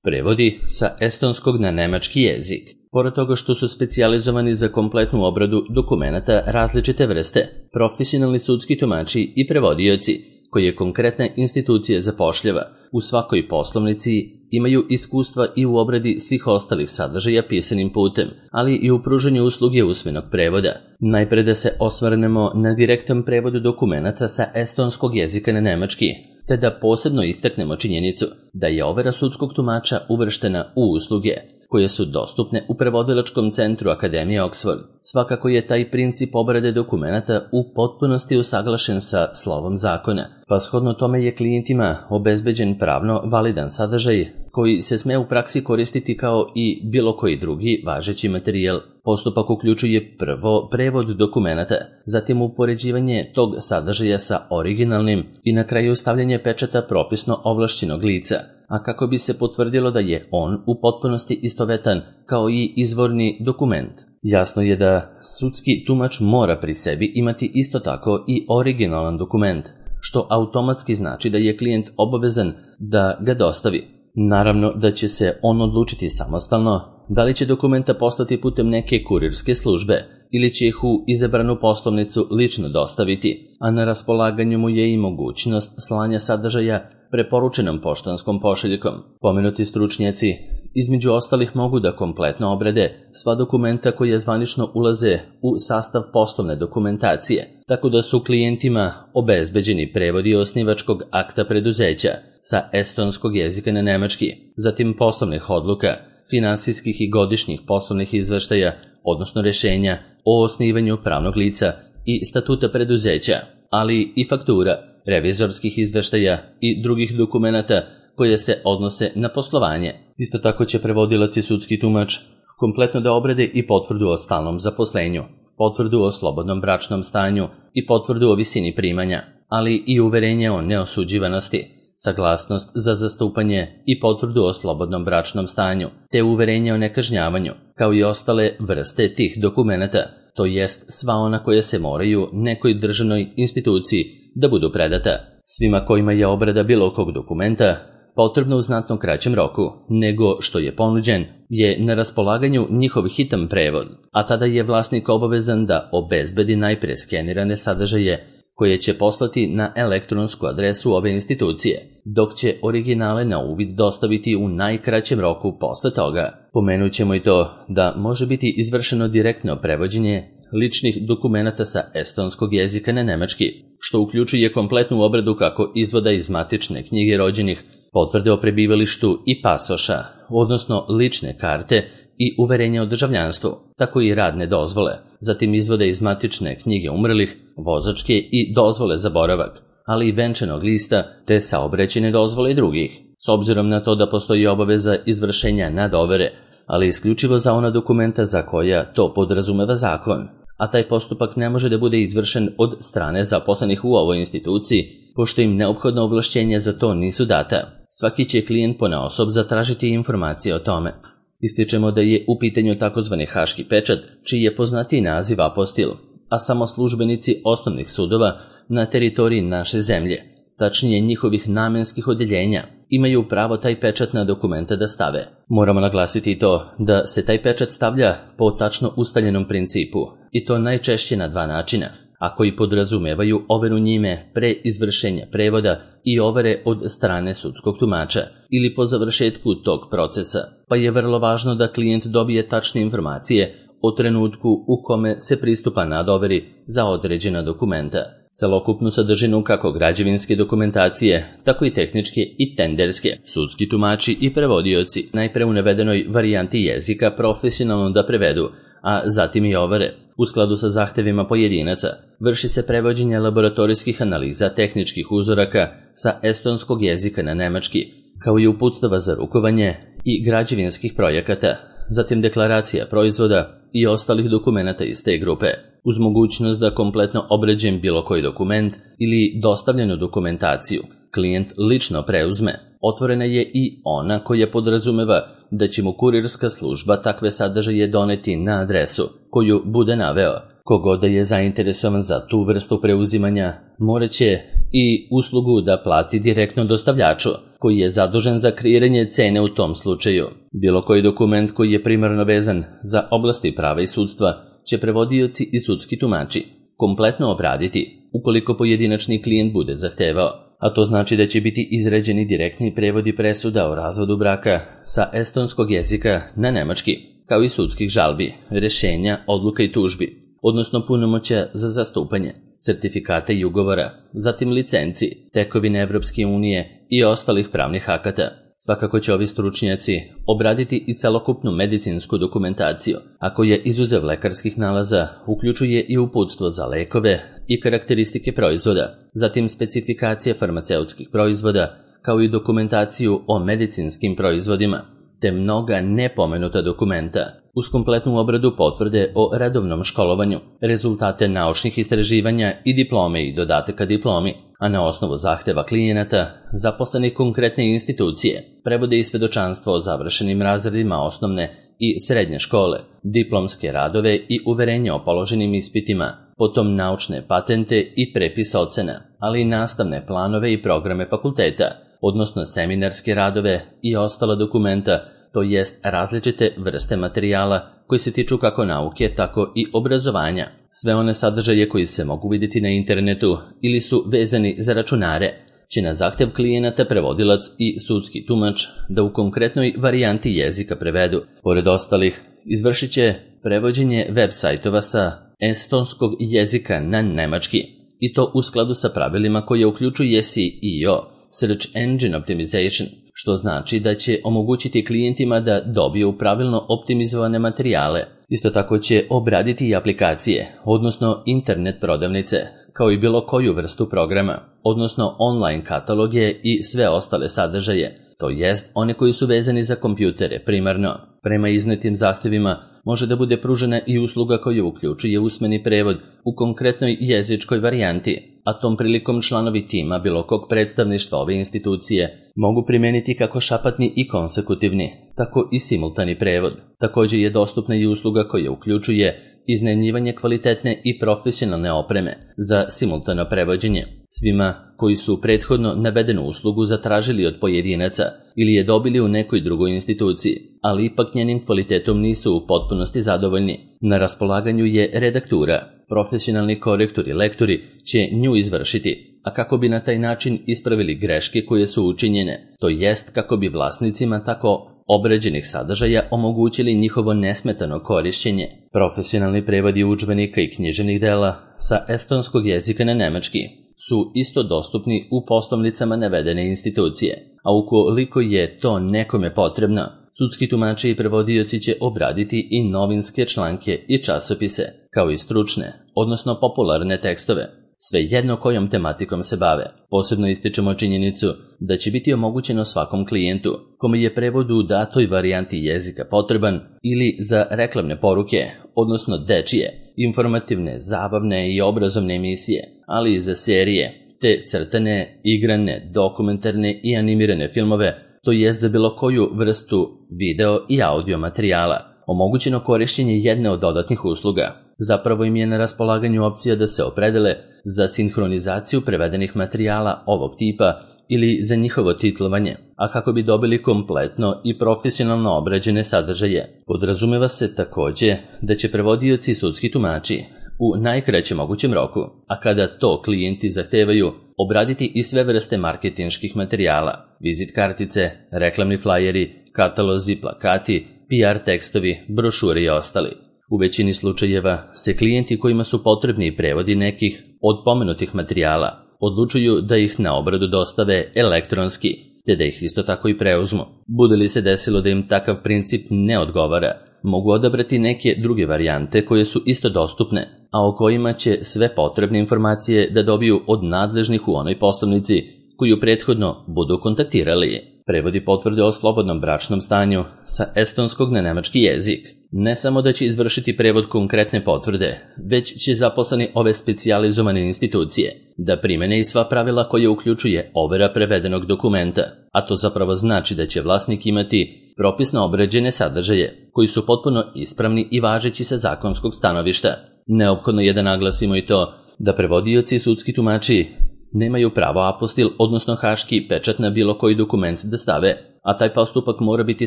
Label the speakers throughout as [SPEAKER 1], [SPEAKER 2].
[SPEAKER 1] Prevodi sa estonskog na nemački jezik. Pored toga što su specijalizovani za kompletnu obradu dokumenata različite vrste, profesionalni sudski tumači i prevodioci, koje konkretna institucija zapošljava, u svakoj poslovnici imaju iskustva i u obradi svih ostalih sadržaja pisanim putem, ali i u pružanju usluge usmenog prevoda. Najpre da se osvrnemo na direktan prevod dokumenata sa estonskog jezika na nemački, te da posebno istaknemo činjenicu da je overa sudskog tumača uvrštena u usluge koje su dostupne u prevodilačkom centru Akademije Oxford. Svakako je taj princip obrade dokumenata u potpunosti usaglašen sa slovom zakona, pa shodno tome je klijentima obezbeđen pravno validan sadržaj koji se sme u praksi koristiti kao i bilo koji drugi važeći materijal. Postupak uključuje prvo prevod dokumenata, zatim upoređivanje tog sadržaja sa originalnim i na kraju stavljanje pečata propisno ovlašćenog lica, a kako bi se potvrdilo da je on u potpunosti istovetan kao i izvorni dokument. Jasno je da sudski tumač mora pri sebi imati isto tako i originalan dokument, što automatski znači da je klijent obavezan da ga dostavi. Naravno da će se on odlučiti samostalno da li će dokumenta poslati putem neke kurirske službe ili će ih u izabranu poslovnicu lično dostaviti, a na raspolaganju mu je i mogućnost slanja sadržaja preporučenom poštanskom pošiljkom. Pomenuti stručnjaci između ostalih mogu da kompletno obrade sva dokumenta koja zvanično ulaze u sastav poslovne dokumentacije, tako da su klijentima obezbeđeni prevodi osnivačkog akta preduzeća sa estonskog jezika na nemački, zatim poslovnih odluka, finansijskih i godišnjih poslovnih izveštaja, odnosno rješenja o osnivanju pravnog lica i statuta preduzeća, ali i faktura, revizorskih izveštaja i drugih dokumenata koje se odnose na poslovanje. Isto tako će prevodilac i sudski tumač kompletno da obrade i potvrdu o stalnom zaposlenju, potvrdu o slobodnom bračnom stanju i potvrdu o visini primanja, ali i uverenje o neosuđivanosti, saglasnost za zastupanje i potvrdu o slobodnom bračnom stanju, te uverenje o nekažnjavanju, kao i ostale vrste tih dokumenata, to jest sva ona koja se moraju nekoj državnoj instituciji da budu predata. Svima kojima je obrada bilo kog dokumenta potrebno u znatno kraćem roku nego što je ponuđen, je na raspolaganju njihov hitan prevod, a tada je vlasnik obavezan da obezbedi najpre skenirane sadržaje koje će poslati na elektronsku adresu ove institucije, dok će originale na uvid dostaviti u najkraćem roku posle toga. Pomenut ćemo i to da može biti izvršeno direktno prevođenje ličnih dokumenata sa estonskog jezika na nemački, što uključuje kompletnu obradu kako izvoda iz matične knjige rođenih, potvrde o prebivalištu i pasoša, odnosno lične karte i uverenja o državljanstvu, tako i radne dozvole, zatim izvode iz matične knjige umrlih, vozačke i dozvole za boravak, ali i venčanog lista te saobraćajne dozvole i drugih. S obzirom na to da postoji obaveza izvršenja nadovere, ali isključivo za ona dokumenta za koja to podrazumeva zakon, a taj postupak ne može da bude izvršen od strane zaposlenih u ovoj instituciji, pošto im neophodno ovlašćenja za to nisu data. Svaki će klijent ponaosob zatražiti informacije o tome. Ističemo da je u pitanju takozvani haški pečat, čiji je poznatiji naziv apostil, a samo službenici osnovnih sudova na teritoriji naše zemlje, tačnije njihovih namenskih odjeljenja, imaju pravo taj pečat na dokumenta da stave. Moramo naglasiti i to da se taj pečat stavlja po tačno ustaljenom principu, i to najčešće na dva načina, a koji podrazumevaju overu njime pre izvršenja prevoda i overe od strane sudskog tumača ili po završetku tog procesa, pa je vrlo važno da klijent dobije tačne informacije o trenutku u kome se pristupa nadoveri za određena dokumenta. Celokupnu sadržinu kako građevinske dokumentacije, tako i tehničke i tenderske, sudski tumači i prevodioci najpre u navedenoj varijanti jezika profesionalno da prevedu, a zatim i overe. U skladu sa zahtevima pojedinaca, vrši se prevođenje laboratorijskih analiza tehničkih uzoraka sa estonskog jezika na nemački, kao i uputstava za rukovanje i građevinskih projekata, zatim deklaracija proizvoda i ostalih dokumenata iz te grupe. Uz mogućnost da kompletno obrađen bilo koji dokument ili dostavljenu dokumentaciju klijent lično preuzme, otvorena je i ona koja podrazumeva da će mu kurirska služba takve sadržaje doneti na adresu koju bude naveo, Kogod da je zainteresovan za tu vrstu preuzimanja, morat će i uslugu da plati direktno dostavljaču, koji je zadužen za kreiranje cene u tom slučaju. Bilo koji dokument koji je primarno vezan za oblasti prava i sudstva će prevodioci i sudski tumači kompletno obraditi ukoliko pojedinačni klijent bude zahtevao, a to znači da će biti izrađeni direktni prevodi presuda o razvodu braka sa estonskog jezika na nemački, kao i sudskih žalbi, rješenja, odluka i tužbi, odnosno punomoćja za zastupanje, sertifikata i ugovora, zatim licenci, tekovine Evropske unije i ostalih pravnih akata. Svakako će ovi stručnjaci obraditi i celokupnu medicinsku dokumentaciju, a koja izuzev lekarskih nalaza uključuje i uputstvo za lekove i karakteristike proizvoda, zatim specifikacije farmaceutskih proizvoda, kao i dokumentaciju o medicinskim proizvodima, te mnoga nepomenuta dokumenta, uz kompletnu obradu potvrde o redovnom školovanju, rezultate naučnih istraživanja i diplome i dodataka diplomi, a na osnovu zahteva klijenata, zaposlenih konkretne institucije, prevode i svedočanstvo o završenim razredima osnovne i srednje škole, diplomske radove i uverenja o položenim ispitima, potom naučne patente i prepis ocena, ali i nastavne planove i programe fakulteta, odnosno seminarske radove i ostala dokumenta, to jest različite vrste materijala koji se tiču kako nauke, tako i obrazovanja. Sve one sadržaje koji se mogu vidjeti na internetu ili su vezani za računare, će na zahtev klijenata prevodilac i sudski tumač da u konkretnoj varijanti jezika prevedu. Pored ostalih, izvršit će prevođenje web sajtova sa estonskog jezika na nemački, i to u skladu sa pravilima koje uključuje SEO, Search Engine Optimization, što znači da će omogućiti klijentima da dobiju pravilno optimizovane materijale. Isto tako će obraditi i aplikacije, odnosno internet prodavnice, kao i bilo koju vrstu programa, odnosno online kataloge i sve ostale sadržaje, to jest one koji su vezani za kompjutere primarno. Prema iznetim zahtevima može da bude pružena i usluga koja uključuje usmeni prevod u konkretnoj jezičkoj varijanti, a tom prilikom članovi tima bilo kog predstavništva ove institucije mogu primijeniti kako šapatni i konsekutivni, tako i simultani prevod. Također je dostupna i usluga koja uključuje iznajmljivanje kvalitetne i profesionalne opreme za simultano prevođenje. Svima koji su prethodno navedenu uslugu zatražili od pojedinaca ili je dobili u nekoj drugoj instituciji, ali ipak njenim kvalitetom nisu u potpunosti zadovoljni. Na raspolaganju je redaktura. Profesionalni korektori i lektori će nju izvršiti, a kako bi na taj način ispravili greške koje su učinjene, to jest kako bi vlasnicima tako obrađenih sadržaja omogućili njihovo nesmetano korišćenje. Profesionalni prevodi udžbenika i književnih dela sa estonskog jezika na nemački su isto dostupni u poslovnicama navedene institucije, a ukoliko je to nekome potrebno, sudski tumači i prevodioci će obraditi i novinske članke i časopise, kao i stručne, odnosno popularne tekstove, svejedno kojom tematikom se bave. Posebno ističemo činjenicu da će biti omogućeno svakom klijentu kome je prevod u datoj varijanti jezika potreban ili za reklamne poruke, odnosno dečije, informativne, zabavne i obrazovne emisije, ali i za serije, te crtane, igrane, dokumentarne i animirane filmove, to jest za bilo koju vrstu video i audio materijala. Omogućeno korištenje jedne od dodatnih usluga. Zapravo im je na raspolaganju opcija da se opredele za sinhronizaciju prevedenih materijala ovog tipa ili za njihovo titlovanje, a kako bi dobili kompletno i profesionalno obrađene sadržaje. Podrazumeva se također da će prevodioci i sudski tumači u najkraćem mogućem roku, a kada to klijenti zahtevaju, obraditi i sve vrste marketinških materijala, vizit kartice, reklamni flajeri, katalozi, plakati, PR tekstovi, brošure i ostali. U većini slučajeva se klijenti kojima su potrebni prevodi nekih od pomenutih materijala odlučuju da ih na obradu dostave elektronski, te da ih isto tako i preuzmu. Bude li se desilo da im takav princip ne odgovara, mogu odabrati neke druge varijante koje su isto dostupne, a o kojima će sve potrebne informacije da dobiju od nadležnih u onoj poslovnici koju prethodno budu kontaktirali. Prevodi potvrde o slobodnom bračnom stanju sa estonskog na nemački jezik. Ne samo da će izvršiti prevod konkretne potvrde, već će zaposleni ove specijalizovane institucije da primene i sva pravila koje uključuje overa prevedenog dokumenta, a to zapravo znači da će vlasnik imati propisno obrađene sadržaje koji su potpuno ispravni i važeći sa zakonskog stanovišta. Neophodno je da naglasimo i to da prevodioci i sudski tumači nemaju pravo apostil, odnosno haški pečat na bilo koji dokument da stave, a taj postupak mora biti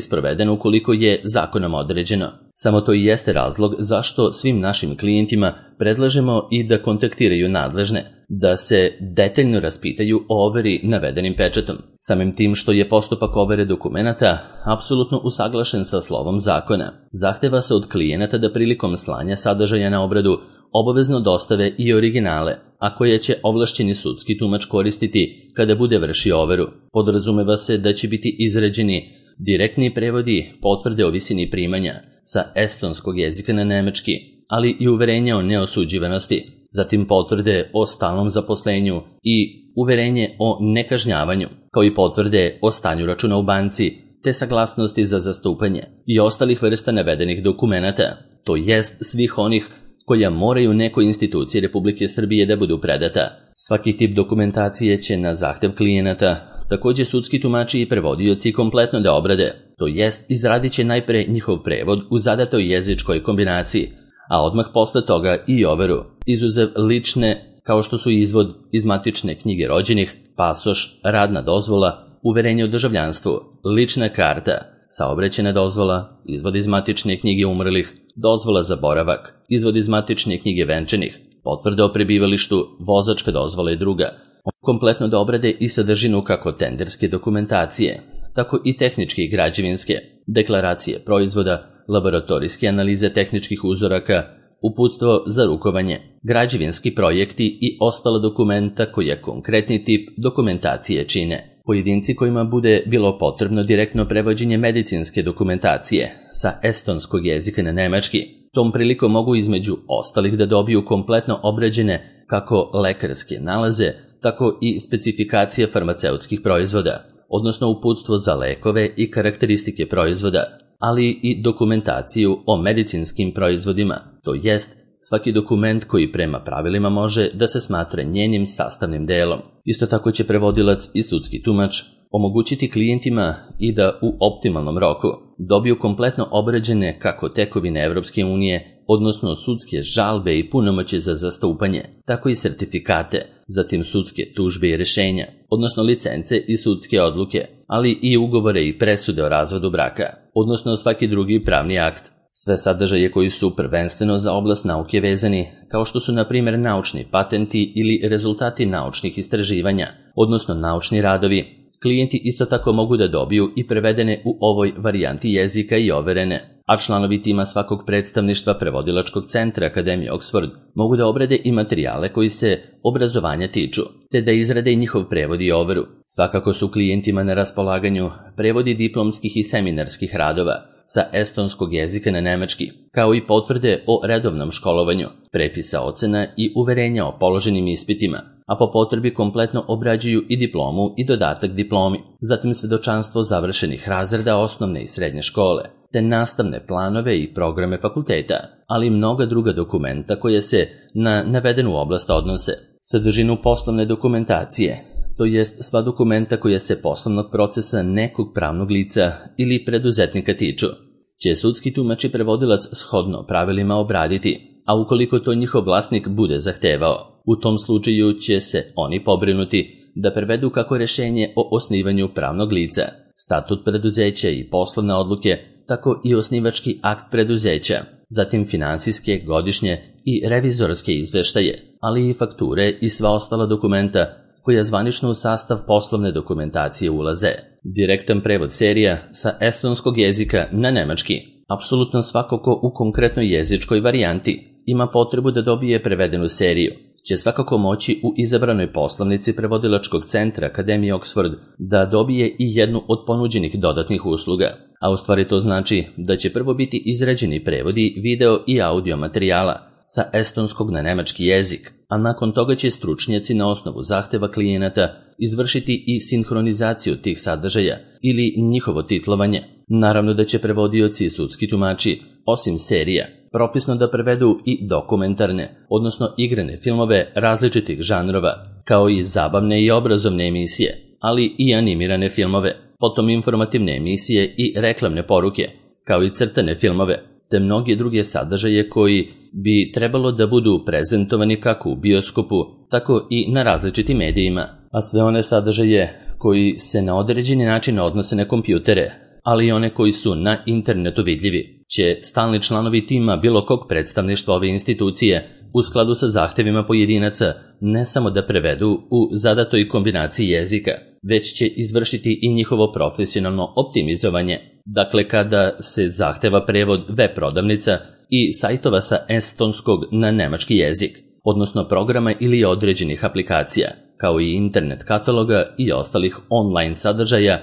[SPEAKER 1] sproveden ukoliko je zakonom određeno. Samo to i jeste razlog zašto svim našim klijentima predlažemo i da kontaktiraju nadležne, da se detaljno raspitaju o overi navedenim pečatom. Samim tim što je postupak overe dokumenata apsolutno usaglašen sa slovom zakona, zahteva se od klijenata da prilikom slanja sadržaja na obradu obavezno dostave i originale, a koje će ovlašćeni sudski tumač koristiti kada bude vršio overu. Podrazumeva se da će biti izrađeni direktni prevodi potvrde o visini primanja sa estonskog jezika na nemački, ali i uverenja o neosuđivanosti, zatim potvrde o stalnom zaposlenju i uverenje o nekažnjavanju, kao i potvrde o stanju računa u banci, te saglasnosti za zastupanje i ostalih vrsta navedenih dokumenata, to jest svih onih koja moraju nekoj instituciji Republike Srbije da budu predata. Svaki tip dokumentacije će na zahtev klijenata također sudski tumači i prevodioci kompletno da obrade, to jest izradit će najpre njihov prevod u zadatoj jezičkoj kombinaciji, a odmah posle toga i overu, izuzev lične kao što su izvod iz matične knjige rođenih, pasoš, radna dozvola, uverenje o državljanstvu, lična karta, saobraćajna dozvola, izvod iz matične knjige umrlih, dozvola za boravak, izvod iz matične knjige venčanih, potvrda o prebivalištu, vozačka dozvola i druga. Kompletno da obrade i sadržinu kako tenderske dokumentacije, tako i tehničke i građevinske, deklaracije proizvoda, laboratorijske analize tehničkih uzoraka, uputstvo za rukovanje, građevinski projekti i ostala dokumenta koja konkretni tip dokumentacije čine. Pojedinci kojima bude bilo potrebno direktno prevođenje medicinske dokumentacije sa estonskog jezika na nemački, tom prilikom mogu između ostalih da dobiju kompletno obrađene kako lekarske nalaze, tako i specifikacije farmaceutskih proizvoda, odnosno uputstvo za lekove i karakteristike proizvoda, ali i dokumentaciju o medicinskim proizvodima, to jest svaki dokument koji prema pravilima može da se smatra njenim sastavnim delom. Isto tako će prevodilac i sudski tumač omogućiti klijentima i da u optimalnom roku dobiju kompletno obrađene kako tekovine Evropske unije, odnosno sudske žalbe i punomoći za zastupanje, tako i sertifikate, zatim sudske tužbe i rešenja, odnosno licence i sudske odluke, ali i ugovore i presude o razvodu braka, odnosno svaki drugi pravni akt. Sve sadržaje koji su prvenstveno za oblast nauke vezani, kao što su na primjer naučni patenti ili rezultati naučnih istraživanja, odnosno naučni radovi, klijenti isto tako mogu da dobiju i prevedene u ovoj varijanti jezika i overene, a članovi tima svakog predstavništva prevodilačkog centra Akademije Oxford mogu da obrade i materijale koji se obrazovanja tiču, te da izrade i njihov prevod i overu. Svakako su klijentima na raspolaganju prevodi diplomskih i seminarskih radova sa estonskog jezika na nemački, kao i potvrde o redovnom školovanju, prepisa ocena i uverenja o položenim ispitima, a po potrebi kompletno obrađuju i diplomu i dodatak diplomi, zatim svedočanstvo završenih razreda osnovne i srednje škole, te nastavne planove i programe fakulteta, ali i mnoga druga dokumenta koje se na navedenu oblast odnose. Sadržinu poslovne dokumentacije, to jest sva dokumenta koja se poslovnog procesa nekog pravnog lica ili preduzetnika tiču, će sudski tumač i prevodilac shodno pravilima obraditi, a ukoliko to njihov vlasnik bude zahtevao, u tom slučaju će se oni pobrinuti da prevedu kako rešenje o osnivanju pravnog lica, statut preduzeća i poslovne odluke, tako i osnivački akt preduzeća, zatim finansijske, godišnje i revizorske izveštaje, ali i fakture i sva ostala dokumenta koja zvanično u sastav poslovne dokumentacije ulaze. Direktan prevod serija sa estonskog jezika na nemački. Apsolutno svako ko u konkretnoj jezičkoj varijanti ima potrebu da dobije prevedenu seriju, će svakako moći u izabranoj poslovnici prevodilačkog centra Akademije Oxford da dobije i jednu od ponuđenih dodatnih usluga, a u stvari to znači da će prvo biti izrađeni prevodi video i audio materijala sa estonskog na nemački jezik, a nakon toga će stručnjaci na osnovu zahteva klijenata izvršiti i sinhronizaciju tih sadržaja ili njihovo titlovanje. Naravno da će prevodioci i sudski tumači, osim serija, propisno da prevedu i dokumentarne, odnosno igrane filmove različitih žanrova, kao i zabavne i obrazovne emisije, ali i animirane filmove, potom informativne emisije i reklamne poruke, kao i crtane filmove, te mnoge druge sadržaje koji bi trebalo da budu prezentovani kako u bioskopu, tako i na različitim medijima, a sve one sadržaje koji se na određeni način odnose na kompjutere, ali i one koji su na internetu vidljivi, će stalni članovi tima bilo kog predstavništva ove institucije u skladu sa zahtevima pojedinaca ne samo da prevedu u zadatoj kombinaciji jezika, već će izvršiti i njihovo profesionalno optimizovanje. Dakle, kada se zahteva prevod web prodavnica i sajtova sa estonskog na nemački jezik, odnosno programa ili određenih aplikacija, kao i internet kataloga i ostalih online sadržaja,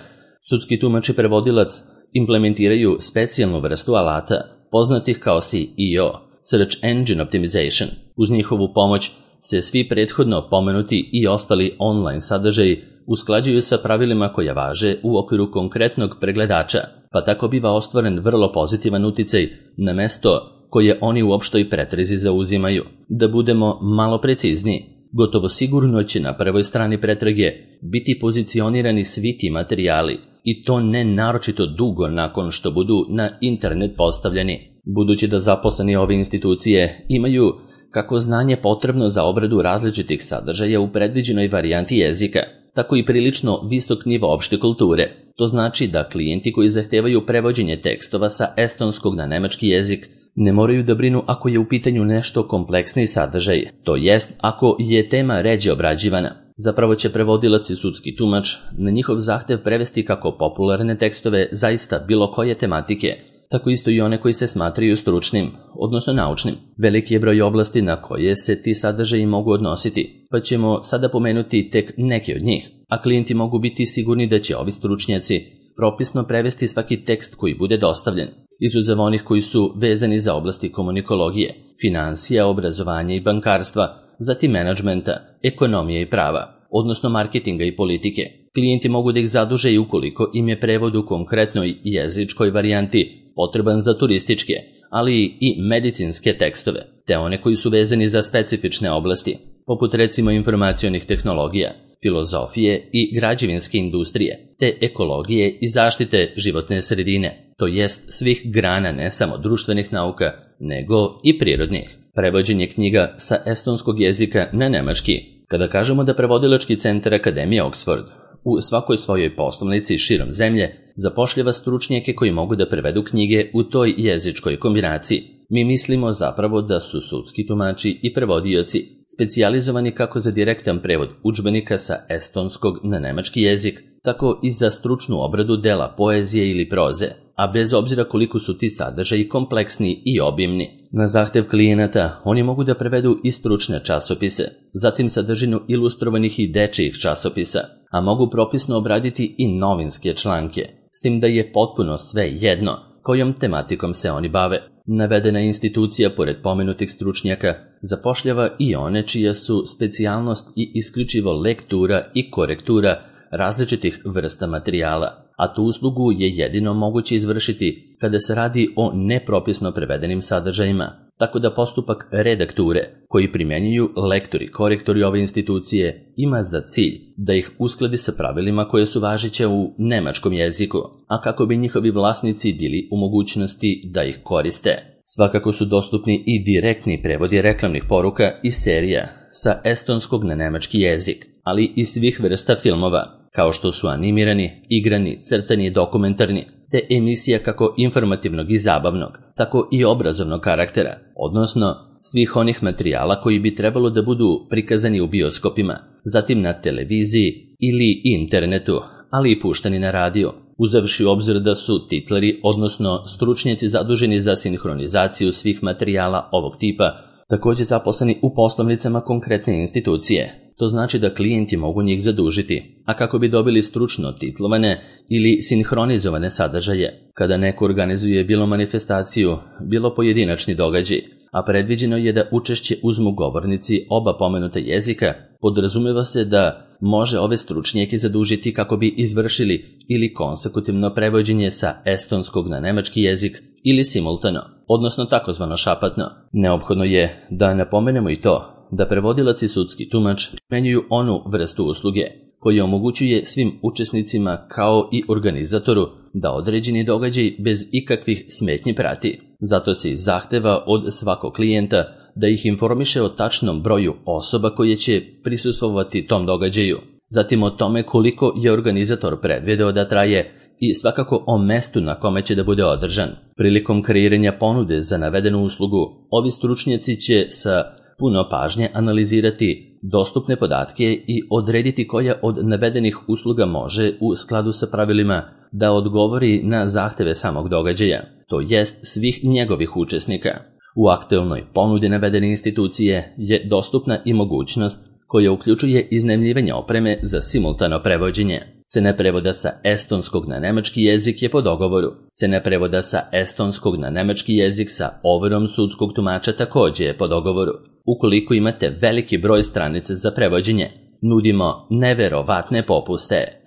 [SPEAKER 1] sudski tumač i prevodilac implementiraju specijalnu vrstu alata, poznatih kao SEO, Search Engine Optimization. Uz njihovu pomoć se svi prethodno pomenuti i ostali online sadržaji usklađuju sa pravilima koja važe u okviru konkretnog pregledača, pa tako biva ostvaren vrlo pozitivan uticaj na mesto koje oni u opštoj pretrezi zauzimaju. Da budemo malo precizniji, gotovo sigurno će na prvoj strani pretrage biti pozicionirani svi ti materijali, i to ne naročito dugo nakon što budu na internet postavljeni. Budući da zaposleni ove institucije imaju kako znanje potrebno za obradu različitih sadržaja u predviđenoj varijanti jezika, tako i prilično visok nivo opšte kulture. To znači da klijenti koji zahtevaju prevođenje tekstova sa estonskog na nemački jezik ne moraju da brinu ako je u pitanju nešto kompleksniji sadržaj, to jest ako je tema ređe obrađivana. Zapravo će prevodilac i sudski tumač na njihov zahtev prevesti kako popularne tekstove zaista bilo koje tematike, tako isto i one koji se smatraju stručnim, odnosno naučnim. Veliki je broj oblasti na koje se ti sadržaji mogu odnositi, pa ćemo sada pomenuti tek neke od njih, a klijenti mogu biti sigurni da će ovi stručnjaci propisno prevesti svaki tekst koji bude dostavljen, izuzev onih koji su vezani za oblasti komunikologije, finansija, obrazovanja i bankarstva, zatim menadžmenta, ekonomije i prava, odnosno marketinga i politike. Klijenti mogu da ih zaduže i ukoliko im je prevod u konkretnoj jezičkoj varijanti potreban za turističke, ali i medicinske tekstove, te one koji su vezani za specifične oblasti, poput recimo informacionih tehnologija, filozofije i građevinske industrije, te ekologije i zaštite životne sredine, to jest svih grana ne samo društvenih nauka, nego i prirodnih. Prevođenje knjiga sa estonskog jezika na nemački. Kada kažemo da prevodilački centar Akademije Oxford u svakoj svojoj poslovnici širom zemlje zapošljava stručnjake koji mogu da prevedu knjige u toj jezičkoj kombinaciji, mi mislimo zapravo da su sudski tumači i prevodioci specijalizovani kako za direktan prevod udžbenika sa estonskog na nemački jezik, tako i za stručnu obradu dela poezije ili proze, a bez obzira koliko su ti sadržaji kompleksni i obimni. Na zahtev klijenata oni mogu da prevedu i stručne časopise, zatim sadržinu ilustrovanih i dečijih časopisa, a mogu propisno obraditi i novinske članke, s tim da je potpuno sve jedno kojom tematikom se oni bave. Navedena institucija, pored pomenutih stručnjaka, zapošljava i one čija su specijalnost i isključivo lektura i korektura različitih vrsta materijala, a tu uslugu je jedino moguće izvršiti kada se radi o nepropisno prevedenim sadržajima, tako da postupak redakture koji primjenjuju lektori i korektori ove institucije ima za cilj da ih uskladi sa pravilima koje su važeće u nemačkom jeziku, a kako bi njihovi vlasnici bili u mogućnosti da ih koriste. Svakako su dostupni i direktni prevodi reklamnih poruka i serija sa estonskog na nemački jezik, ali i svih vrsta filmova, kao što su animirani, igrani, crtani i dokumentarni, te emisija kako informativnog i zabavnog, tako i obrazovnog karaktera, odnosno svih onih materijala koji bi trebalo da budu prikazani u bioskopima, zatim na televiziji ili internetu, ali i puštani na radiju, uzevši u obzir da su titleri, odnosno stručnjaci zaduženi za sinhronizaciju svih materijala ovog tipa, također zaposleni u poslovnicama konkretne institucije. To znači da klijenti mogu njih zadužiti, a kako bi dobili stručno titlovane ili sinhronizovane sadržaje, kada neko organizuje bilo manifestaciju, bilo pojedinačni događaj, a predviđeno je da učešće uzmu govornici oba pomenuta jezika, podrazumeva se da može ove stručnjake zadužiti kako bi izvršili ili konsekutivno prevođenje sa estonskog na nemački jezik ili simultano, odnosno takozvano šapatno. Neophodno je da napomenemo i to da prevodilac i sudski tumač primjenjuju onu vrstu usluge koja omogućuje svim učesnicima kao i organizatoru da određeni događaj bez ikakvih smetnji prati. Zato se i zahteva od svakog klijenta da ih informiše o tačnom broju osoba koje će prisustvovati tom događaju, zatim o tome koliko je organizator predvideo da traje i svakako o mestu na kome će da bude održan. Prilikom kreiranja ponude za navedenu uslugu, ovi stručnjaci će sa puno pažnje analizirati dostupne podatke i odrediti koja od navedenih usluga može u skladu sa pravilima da odgovori na zahteve samog događaja, to jest svih njegovih učesnika. U aktuelnoj ponudi navedene institucije je dostupna i mogućnost koja uključuje iznajmljivanje opreme za simultano prevođenje. Cena prevoda sa estonskog na nemački jezik je po dogovoru. Cena prevoda sa estonskog na nemački jezik sa overom sudskog tumača također je po dogovoru. Ukoliko imate veliki broj stranica za prevođenje, nudimo neverovatne popuste.